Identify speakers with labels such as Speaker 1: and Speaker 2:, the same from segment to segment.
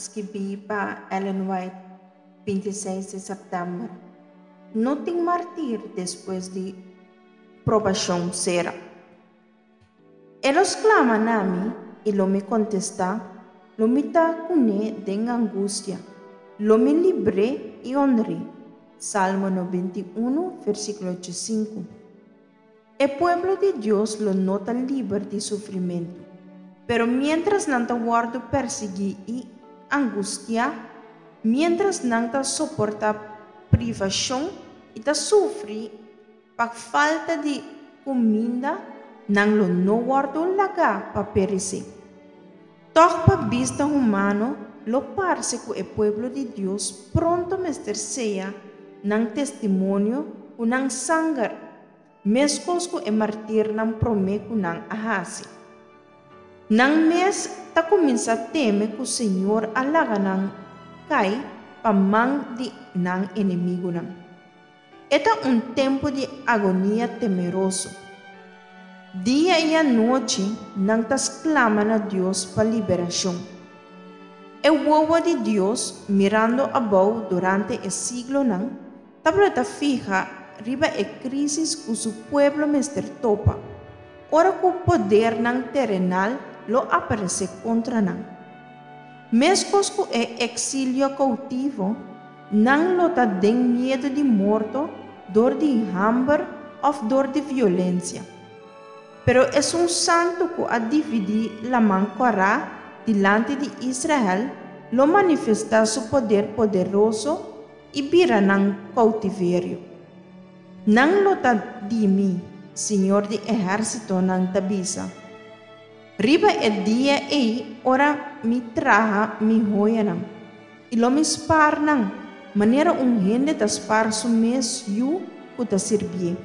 Speaker 1: Skibí pa Ellen White, 26 di sèptèmber. No tin martir despues di probashon sera. E lo sklama na mi, i lo mi kontestá, lo mi ta kuné den angustia, lo mi libr'é i honr'é. Salmo 91, versíkulo 5. E pueblo di Dios lo no ta liber di sufrimentu. Pero miéntras nan ta wòrdu persiguí i angustiá, miéntras nan ta soportá privashon i ta sufri pa falta di kuminda, nan lo no wòrdu lagá pa peresé. Tòg pa bista humano lo parse ku e pueblo di Dios pronto mester seya nan testimonio ku nan sanger, meskos ku e martirnan promé ku nan a hasi. Nan mes ta kuminsá teme ku Señor a laga nan kai pa man di nan enemigunan. E ta un tempu di agonia temeroso. Dia i anochi nan ta sklama na Dios pa liberashon. E wowo di Dios, mirando abou durante e siglonan, tabata fiha riba e krísis ku su pueblo mester topa, ora ku podernan terenal lo aparesé kontra nan. Meskos ku e eksilio koutivo, nan lo ta den miedu di morto dor di hamber òf dor di violensia. Pero esun santu ku a dividí Laman Kòrá dilanti di Israel lo manifestá su poder poderoso i bira nan koutiverio. Nan lo ta di mi, Señor di ehérsitonan ta bisa. Riba e dia ei ora mi traha mi hoyanan, i lo mi spar nan, manera un hende ta spar su mes yu ku ta sirbié.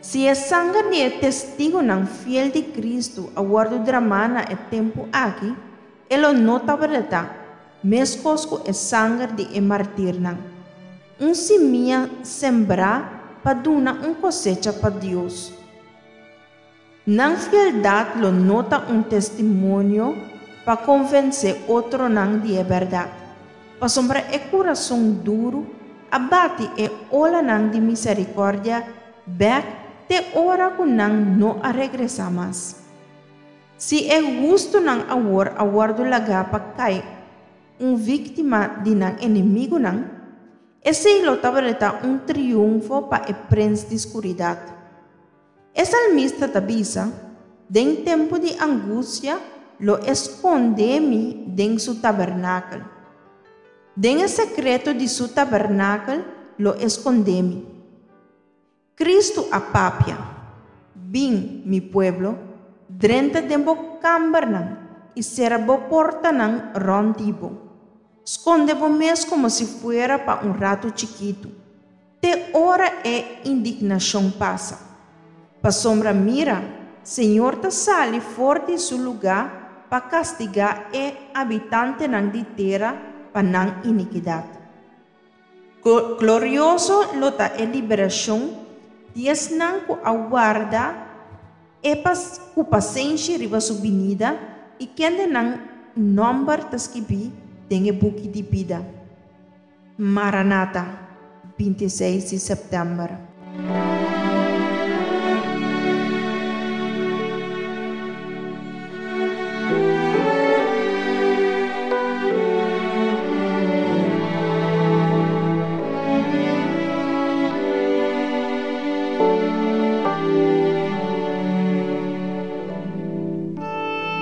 Speaker 1: Si e sanger di e testigunan fiel di Kristu a wòrdu dramá na e tempu aki, e lo no tabata meskos ku e sanger di e martirnan, un simia sembrá pa duna un kosecha pa Dios. Nan fieldat lo no ta un testimonio pa konvensé otronan di e bèrdat, pasobra e kurason duru a bati e olanan di miserikòrdia bèk te ora ku nan no a regresá mas. Si e hustunan awor a wòrdu lagá pa kai un víktima di nan enemigunan, esei lo tabata un triunfo pa e prens di skuridat. E salmista ta bisa, Den tempu di angustia lo e skonde mi den su tabernakel. Den e sekreto di su tabernakel lo e skonde mi. Kristu a papia, Bin, mi pueblo, drenta den bo kambernan i sera bo portanan rònt di bo. Skonde bo mes komo si fuera pa un ratu chikitu. Te ora e indignashon pasa. Pasobra mira, Señor ta sali for di su lugá pa kastigá e abitantenan di tera pa nan inikidat. Glorioso lo ta e liberashon di esnan ku a warda e ku pasenshi riba su binida i kende nan nòmber ta skibí den e buki di bida. Maranata, 26 di sèptèmber.